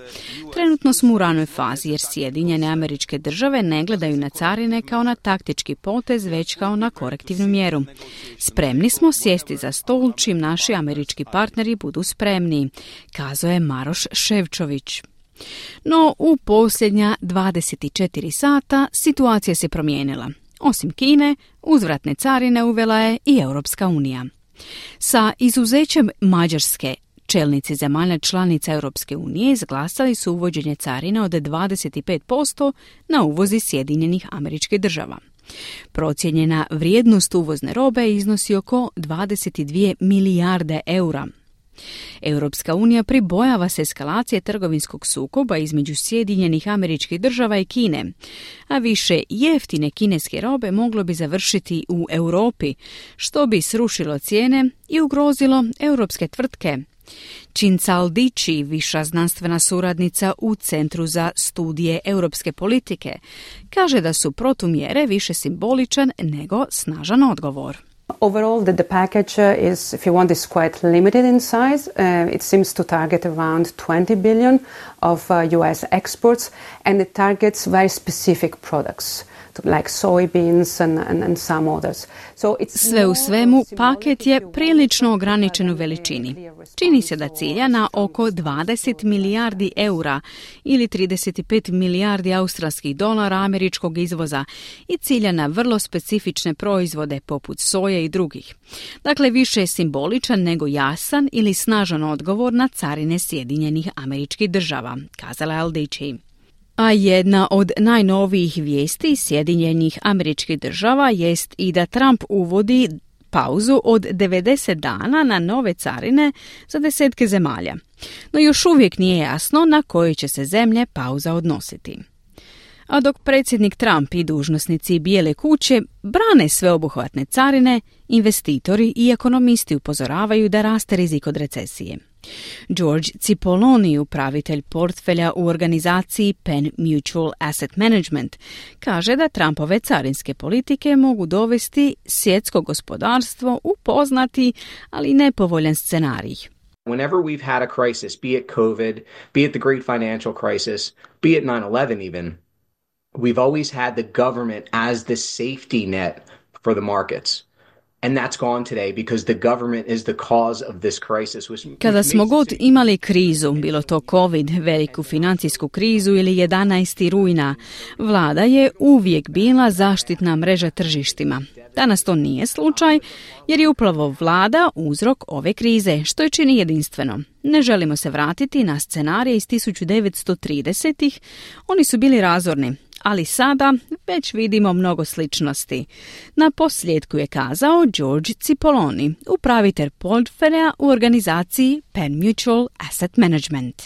Trenutno smo u ranoj fazi jer Sjedinjene Američke Države ne gledaju na carine kao na taktički potez, već kao na korektivnu mjeru. Spremni smo sjesti za stol čim naši američki partneri budu spremni, kazao je Maroš Šefčović. No, u posljednja 24 sata situacija se promijenila. Osim Kine, uzvratne carine uvela je i Europska unija. Sa izuzećem Mađarske, čelnici zemalja članica Europske unije izglasali su uvođenje carina od 25% na uvoz iz Sjedinjenih Američkih Država. Procijenjena vrijednost uvozne robe iznosi oko 22 milijarde eura. Europska unija pribojava se eskalacije trgovinskog sukoba između Sjedinjenih Američkih Država i Kine, a više jeftine kineske robe moglo bi završiti u Europi, što bi srušilo cijene i ugrozilo europske tvrtke. Cinzal Dici, viša znanstvena suradnica u Centru za studije europske politike, kaže da su protumjere više simboličan nego snažan odgovor. Overall, the package is, if you want, is quite limited in size. It seems to target around 20 billion of US exports, and it targets very specific products, like soybeans and some others. So it's sve u svemu, paket je prilično ograničen u veličini. Čini se da cilja na oko 20 milijardi eura ili 35 milijardi australskih dolara američkog izvoza i cilja na vrlo specifične proizvode poput soje i drugih. Dakle, više je simboličan nego jasan ili snažan odgovor na carine Sjedinjenih Američkih Država, kazala je Al-Dici. A jedna od najnovijih vijesti Sjedinjenih Američkih Država jest i da Trump uvodi pauzu od 90 dana na nove carine za desetke zemalja. No još uvijek nije jasno na koje će se zemlje pauza odnositi. A dok predsjednik Trump i dužnosnici Bijele kuće brane sveobuhvatne carine, investitori i ekonomisti upozoravaju da raste rizik od recesije. George Cipolloni, upravitelj portfelja u organizaciji Penn Mutual Asset Management, kaže da Trumpove carinske politike mogu dovesti svjetsko gospodarstvo u poznati, ali nepovoljan scenarij. Whenever we've had a crisis, be it COVID, be it the great financial crisis, be it 9/11 even, we've always had the government as the safety net for the markets. And that's gone today because the government is the cause of this crisis. Kada smo god imali krizu, bilo to COVID, veliku financijsku krizu ili 11. rujna, vlada je uvijek bila zaštitna mreža tržištima. Danas to nije slučaj jer je upravo vlada uzrok ove krize, što je čini jedinstveno. Ne želimo se vratiti na scenarije iz 1930-ih, oni su bili razorni. Ali sada već vidimo mnogo sličnosti. Na posljedku je kazao George Cipolloni, upravitelj portfelja u organizaciji Penn Mutual Asset Management.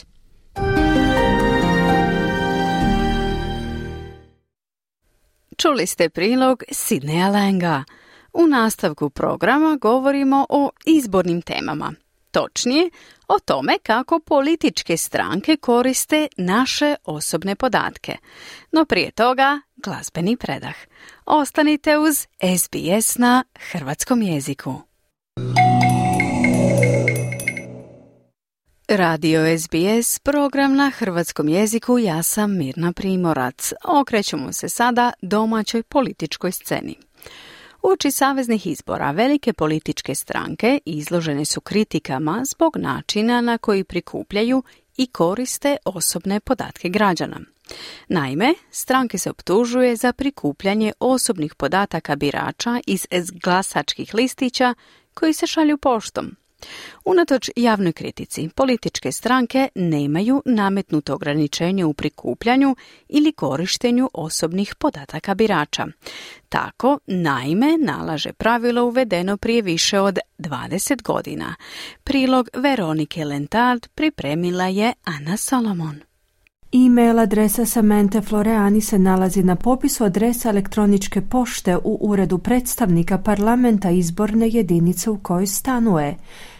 Čuli ste prilog Sidneya Langa. U nastavku programa govorimo o izbornim temama. Točnije, o tome kako političke stranke koriste naše osobne podatke. No prije toga, glazbeni predah. Ostanite uz SBS na hrvatskom jeziku. Radio SBS, program na hrvatskom jeziku, ja sam Mirna Primorac. Okrećemo se sada domaćoj političkoj sceni. Uoči saveznih izbora velike političke stranke izložene su kritikama zbog načina na koji prikupljaju i koriste osobne podatke građana. Naime, stranke se optužuje za prikupljanje osobnih podataka birača iz glasačkih listića koji se šalju poštom. Unatoč javnoj kritici, političke stranke nemaju nametnuto ograničenje u prikupljanju ili korištenju osobnih podataka birača. Tako, naime, nalaže pravilo uvedeno prije više od 20 godina. Prilog Veronike Lentard pripremila je Ana Solomon. E-mail adresa Samanthe Floreani se nalazi na popisu adresa elektroničke pošte u uredu predstavnika parlamenta izborne jedinice u kojoj stanuje.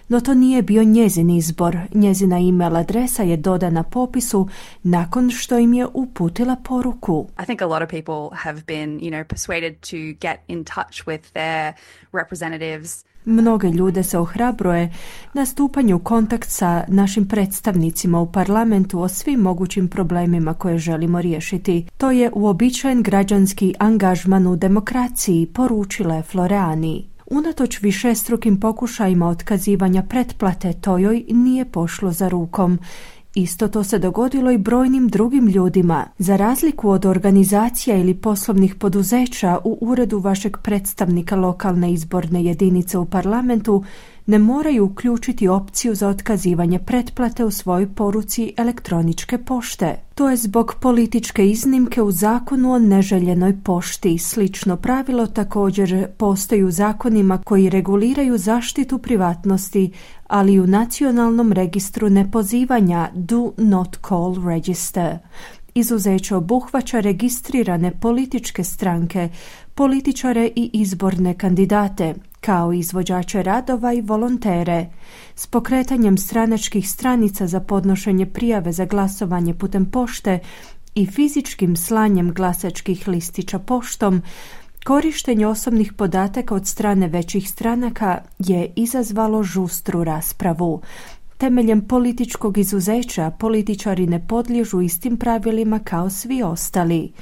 No to nije bio njezin izbor. Njezina e-mail adresa je dodana popisu nakon što im je uputila poruku. I think a lot of people have been, persuaded to get in touch with their representatives. Mnoge ljude se ohrabruje na stupanju u kontakt sa našim predstavnicima u parlamentu o svim mogućim problemima koje želimo riješiti. To je uobičajen građanski angažman u demokraciji, poručila je Floreani. Unatoč višestrukim pokušajima otkazivanja pretplate, to joj nije pošlo za rukom. Isto to se dogodilo i brojnim drugim ljudima. Za razliku od organizacija ili poslovnih poduzeća, u uredu vašeg predstavnika lokalne izborne jedinice u parlamentu ne moraju uključiti opciju za otkazivanje pretplate u svojoj poruci elektroničke pošte. To je zbog političke iznimke u zakonu o neželjenoj pošti. Slično pravilo također postoji u zakonima koji reguliraju zaštitu privatnosti, ali i u nacionalnom registru nepozivanja Do Not Call Register. Izuzeće obuhvaća registrirane političke stranke, političare i izborne kandidate, kao i izvođače radova i volontere. S pokretanjem stranačkih stranica za podnošenje prijave za glasovanje putem pošte i fizičkim slanjem glasačkih listića poštom, korištenje osobnih podataka od strane većih stranaka je izazvalo žustru raspravu. Temeljem političkog izuzeća političari ne podliježu istim pravilima kao svi ostali.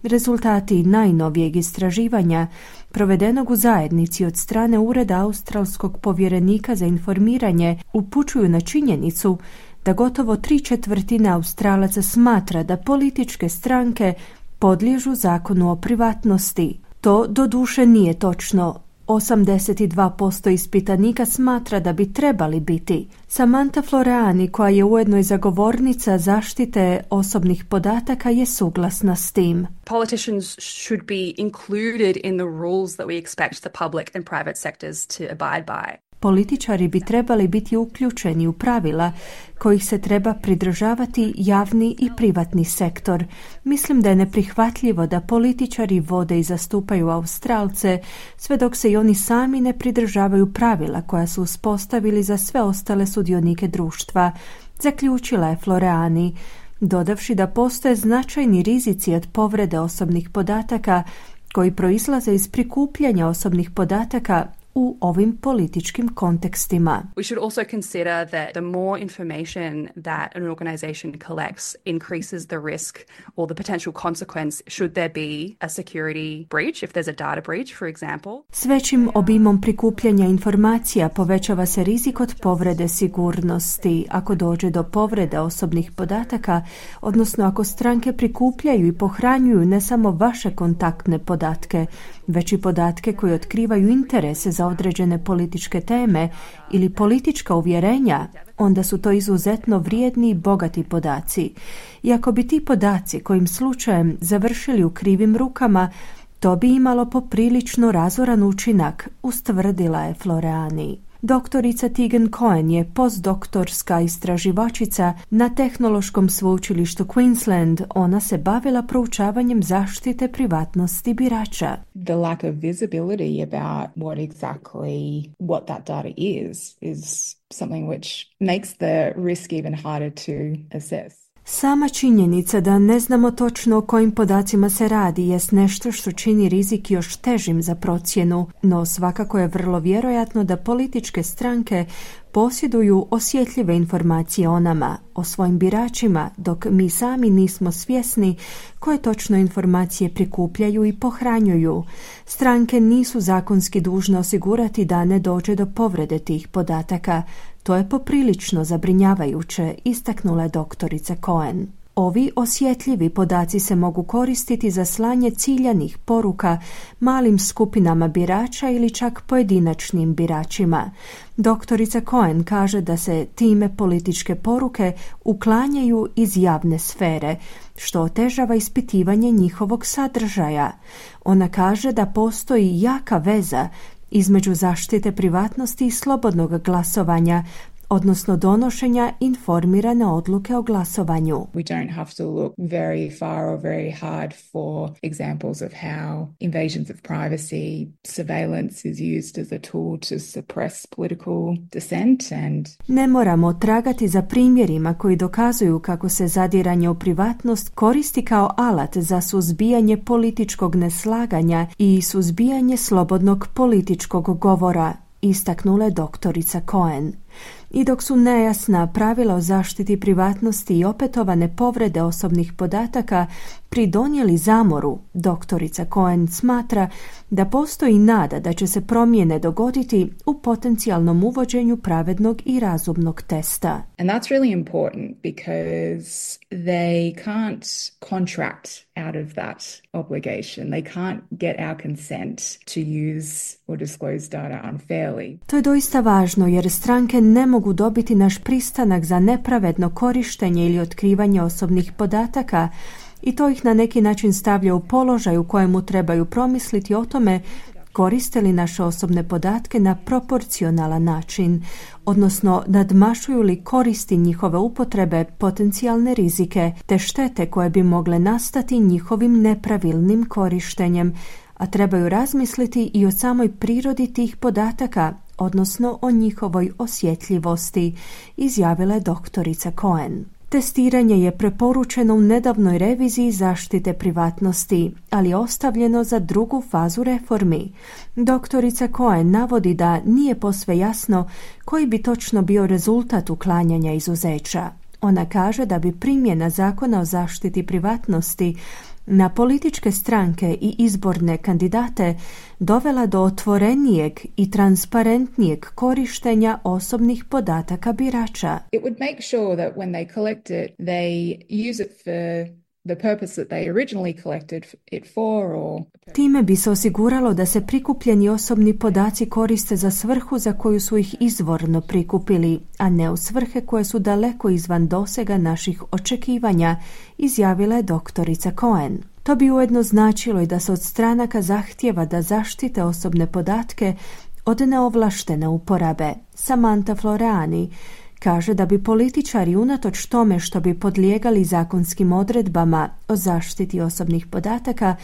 Rezultati najnovijeg istraživanja, provedenog u zajednici od strane Ureda australskog povjerenika za informiranje, upućuju na činjenicu da gotovo 3/4 Australaca smatra da političke stranke podliježu zakonu o privatnosti. To doduše nije točno. 82% ispitanika smatra da bi trebali biti. Samantha Floreani, koja je ujedno i zagovornica zaštite osobnih podataka, je suglasna s tim. Politicians should be included in the rules that we expect the public and private sectors to abide by. Političari bi trebali biti uključeni u pravila kojih se treba pridržavati javni i privatni sektor. Mislim da je neprihvatljivo da političari vode i zastupaju Australce sve dok se i oni sami ne pridržavaju pravila koja su uspostavili za sve ostale sudionike društva, zaključila je Floreani, dodavši da postoje značajni rizici od povrede osobnih podataka koji proizlaze iz prikupljanja osobnih podataka u ovim političkim kontekstima. We should also consider that the more information that an organization collects increases the risk or the potential consequence should there be a security breach, if there's a data breach, for example. S većim obimom prikupljanja informacija povećava se rizik od povrede sigurnosti. Ako dođe do povrede osobnih podataka, odnosno ako stranke prikupljaju i pohranjuju ne samo vaše kontaktne podatke, već i podatke koji otkrivaju interese za određene političke teme ili politička uvjerenja, onda su to izuzetno vrijedni i bogati podaci. I ako bi ti podaci kojim slučajem završili u krivim rukama, to bi imalo poprilično razoran učinak, ustvrdila je Floreani. Doktorica Tegan Cohen je postdoktorska istraživačica na Tehnološkom sveučilištu Queensland. Ona se bavila proučavanjem zaštite privatnosti birača. The lack of visibility about what that data is something which makes the risk even harder to assess. Sama činjenica da ne znamo točno o kojim podacima se radi jest nešto što čini rizik još težim za procjenu, no svakako je vrlo vjerojatno da političke stranke posjeduju osjetljive informacije o nama, o svojim biračima, dok mi sami nismo svjesni koje točno informacije prikupljaju i pohranjuju. Stranke nisu zakonski dužne osigurati da ne dođe do povrede tih podataka. To je poprilično zabrinjavajuće, istaknula je doktorica Cohen. Ovi osjetljivi podaci se mogu koristiti za slanje ciljanih poruka malim skupinama birača ili čak pojedinačnim biračima. Doktorica Cohen kaže da se time političke poruke uklanjaju iz javne sfere, što otežava ispitivanje njihovog sadržaja. Ona kaže da postoji jaka veza između zaštite privatnosti i slobodnog glasovanja, odnosno donošenja informirane odluke o glasovanju. We don't have to look very far or very hard for examples of how invasions of privacy, surveillance is used as a tool to suppress political dissent and ne moramo tragati za primjerima koji dokazuju kako se zadiranje u privatnost koristi kao alat za suzbijanje političkog neslaganja i suzbijanje slobodnog političkog govora, istaknula je doktorica Cohen. I dok su nejasna pravila o zaštiti privatnosti i opetovane povrede osobnih podataka pridonijeli zamoru, doktorica Cohen smatra da postoji nada da će se promjene dogoditi u potencijalnom uvođenju pravednog i razumnog testa. And that's really important because they can't contract out of that obligation. They can't get our consent to use or disclose data unfairly. To je doista važno jer stranke ne mogu dobiti naš pristanak za nepravedno korištenje ili otkrivanje osobnih podataka i to ih na neki način stavlja u položaj u kojemu trebaju promisliti o tome koriste li naše osobne podatke na proporcionalan način, odnosno nadmašuju li koristi njihove upotrebe potencijalne rizike te štete koje bi mogle nastati njihovim nepravilnim korištenjem, a trebaju razmisliti i o samoj prirodi tih podataka, odnosno o njihovoj osjetljivosti, izjavila je doktorica Cohen. Testiranje je preporučeno u nedavnoj reviziji zaštite privatnosti, ali je ostavljeno za drugu fazu reformi. Doktorica Cohen navodi da nije posve jasno koji bi točno bio rezultat uklanjanja izuzeća. Ona kaže da bi primjena zakona o zaštiti privatnosti na političke stranke i izborne kandidate dovela do otvorenijeg i transparentnijeg korištenja osobnih podataka birača. It would make sure that when they collect it, they use it for the purpose that they originally collected it for or... Time bi se osiguralo da se prikupljeni osobni podaci koriste za svrhu za koju su ih izvorno prikupili, a ne u svrhe koje su daleko izvan dosega naših očekivanja, izjavila je doktorica Cohen. To bi ujedno značilo i da se od stranaka zahtijeva da zaštite osobne podatke od neovlaštene uporabe. Samantha Floreani kaže da bi političari unatoč tome što bi podlijegali zakonskim odredbama o zaštiti osobnih podataka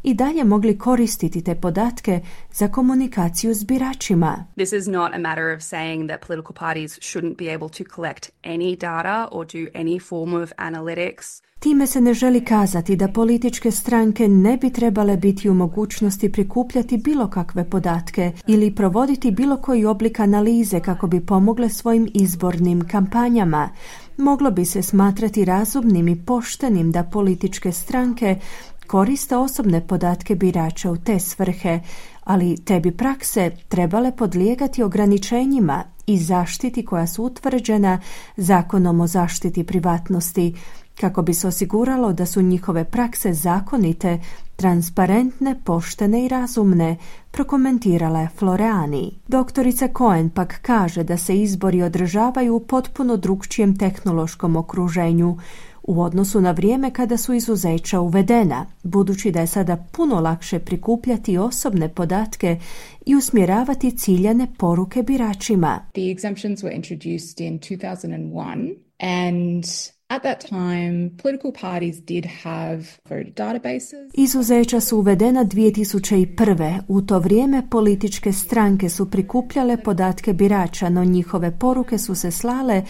i dalje mogli koristiti te podatke za komunikaciju s biračima. This is not a matter of saying that political parties shouldn't be able to collect any data or do any form of analytics. Time se ne želi kazati da političke stranke ne bi trebale biti u mogućnosti prikupljati bilo kakve podatke ili provoditi bilo koji oblik analize kako bi pomogle svojim izbornim kampanjama. Moglo bi se smatrati razumnim i poštenim da političke stranke koriste osobne podatke birača u te svrhe, ali te bi prakse trebale podlijegati ograničenjima i zaštiti koja su utvrđena Zakonom o zaštiti privatnosti, kako bi se osiguralo da su njihove prakse zakonite, transparentne, poštene i razumne, prokomentirala je Floreani. Doktorica Cohen pak kaže da se izbori održavaju u potpuno drukčijem tehnološkom okruženju u odnosu na vrijeme kada su izuzeća uvedena, budući da je sada puno lakše prikupljati osobne podatke i usmjeravati ciljane poruke biračima. The exemptions were introduced in 2001 and at that time, political parties did have voter databases. Izuzeća su uvedena 2001. U to vrijeme političke stranke su prikupljale podatke birača, no njihove poruke su se slale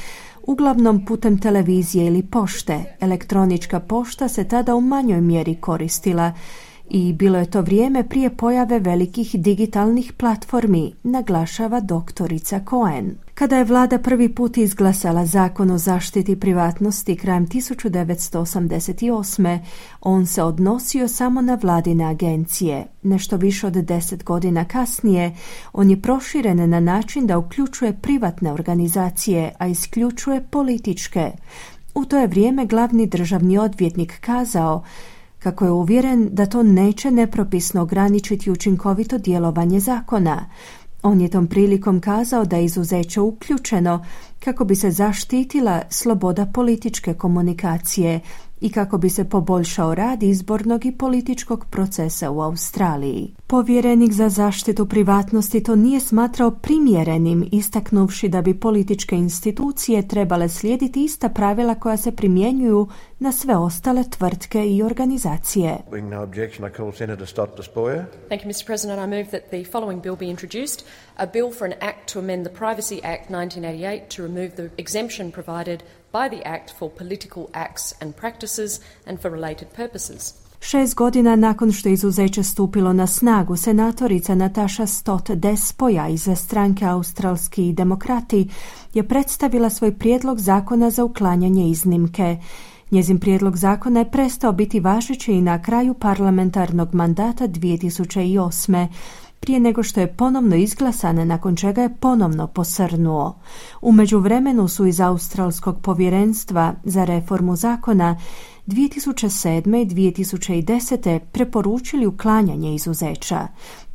uglavnom putem televizije ili pošte. Elektronička pošta se tada u manjoj mjeri koristila i bilo je to vrijeme prije pojave velikih digitalnih platformi, naglašava doktorica Cohen. Kada je vlada prvi put izglasala Zakon o zaštiti privatnosti krajem 1988. on se odnosio samo na vladine agencije. Nešto više od 10 godina kasnije on je proširen na način da uključuje privatne organizacije, a isključuje političke. U to je vrijeme glavni državni odvjetnik kazao kako je uvjeren da to neće nepropisno ograničiti učinkovito djelovanje zakona. On je tom prilikom kazao da je izuzeće uključeno kako bi se zaštitila sloboda političke komunikacije i kako bi se poboljšao rad izbornog i političkog procesa u Australiji. Povjerenik za zaštitu privatnosti to nije smatrao primjerenim, istaknuvši da bi političke institucije trebale slijediti ista pravila koja se primjenjuju na sve ostale tvrtke i organizacije. No objection, I call Senator Stott Despoja. Thank you, Mr. President. I move that the following bill be introduced, a bill for an act to amend the Privacy Act 1988 to remove the exemption provided by the Act for political acts and practices and for related purposes. 6 godina nakon što je izuzeće stupilo na snagu, senatorica Natasha Stott Despoja iz stranke Australski demokrati je predstavila svoj prijedlog zakona za uklanjanje iznimke. Njezin prijedlog zakona je prestao biti važeći i na kraju parlamentarnog mandata 2008. prije nego što je ponovno izglasan, nakon čega je ponovno posrnuo. U međuvremenu su iz Australskog povjerenstva za reformu zakona 2007. i 2010. preporučili uklanjanje izuzeća.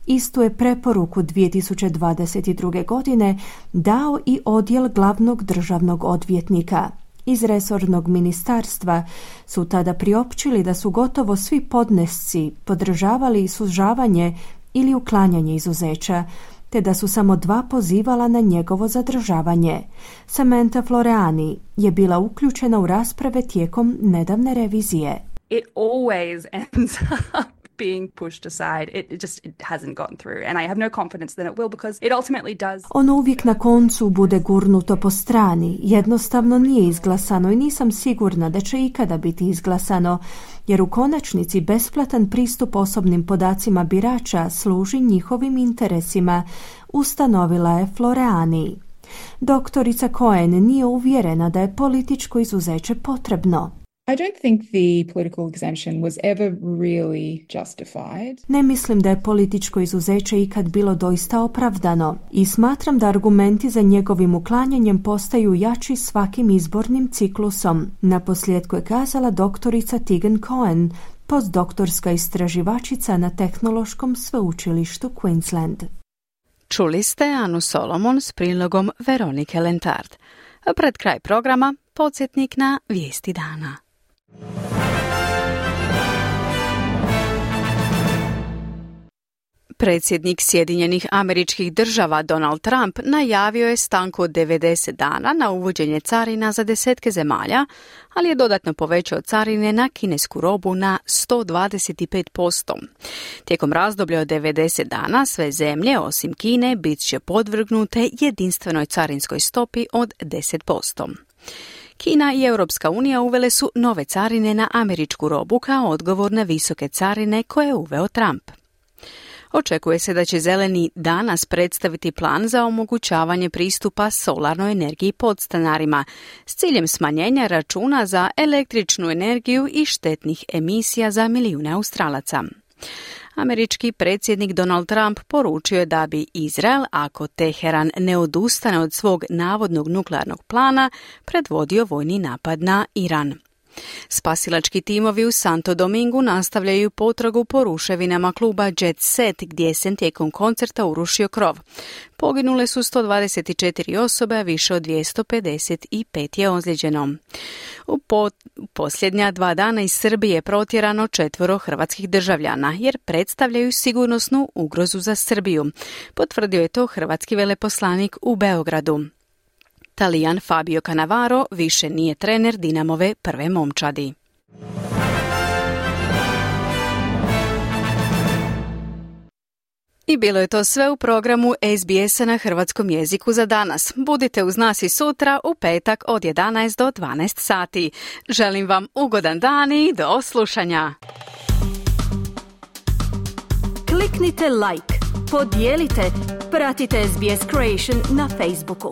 Istu je preporuku 2022. godine dao i odjel glavnog državnog odvjetnika. Iz resornog ministarstva su tada priopćili da su gotovo svi podnesci podržavali sužavanje ili uklanjanje izuzeća, te da su samo 2 pozivala na njegovo zadržavanje. Samantha Floreani je bila uključena u rasprave tijekom nedavne revizije. It always ends up being pushed aside. It hasn't gotten through, and I have no confidence that it will, because it ultimately does. Ono uvijek na koncu bude gurnuto po strani. Jednostavno nije izglasano i nisam sigurna da će ikada biti izglasano, jer u konačnici besplatan pristup osobnim podacima birača služi njihovim interesima, ustanovila je Floreani. Doktorica Cohen nije uvjerena da je političko izuzeće potrebno. I don't think the political exemption was ever really justified. Ne mislim da je političko izuzeće ikad bilo doista opravdano i smatram da argumenti za njegovim uklanjanjem postaju jači svakim izbornim ciklusom. Naposljetku je kazala doktorica Tegan Cohen, postdoktorska istraživačica na Tehnološkom sveučilištu Queensland. Čuli ste Anu Solomon s prilogom Veronike Lentard. Pred kraj programa podsjetnik na vijesti dana. Predsjednik Sjedinjenih Američkih Država Donald Trump najavio je stanku od 90 dana na uvođenje carina za 10 zemalja, ali je dodatno povećao carine na kinesku robu na 125%. Tijekom razdoblja od 90 dana sve zemlje, osim Kine, bit će podvrgnute jedinstvenoj carinskoj stopi od 10%. Kina i Europska unija uvele su nove carine na američku robu kao odgovor na visoke carine koje je uveo Trump. Očekuje se da će Zeleni danas predstaviti plan za omogućavanje pristupa solarnoj energiji podstanarima s ciljem smanjenja računa za električnu energiju i štetnih emisija za milijune Australaca. Američki predsjednik Donald Trump poručio je da bi Izrael, ako Teheran ne odustane od svog navodnog nuklearnog plana, predvodio vojni napad na Iran. Spasilački timovi u Santo Domingu nastavljaju potragu po ruševinama kluba Jet Set gdje se tijekom koncerta urušio krov. Poginule su 124 osobe, a više od 255 je ozlijeđeno. U posljednja 2 dana iz Srbije protjerano 4 hrvatskih državljana jer predstavljaju sigurnosnu ugrozu za Srbiju. Potvrdio je to hrvatski veleposlanik u Beogradu. Talijan Fabio Cannavaro više nije trener Dinamove prve momčadi. I bilo je to sve u programu SBS-a na hrvatskom jeziku za danas. Budite uz nas i sutra u petak od 11 do 12 sati. Želim vam ugodan dan i do slušanja. Kliknite like, podijelite, pratite SBS Creation na Facebooku.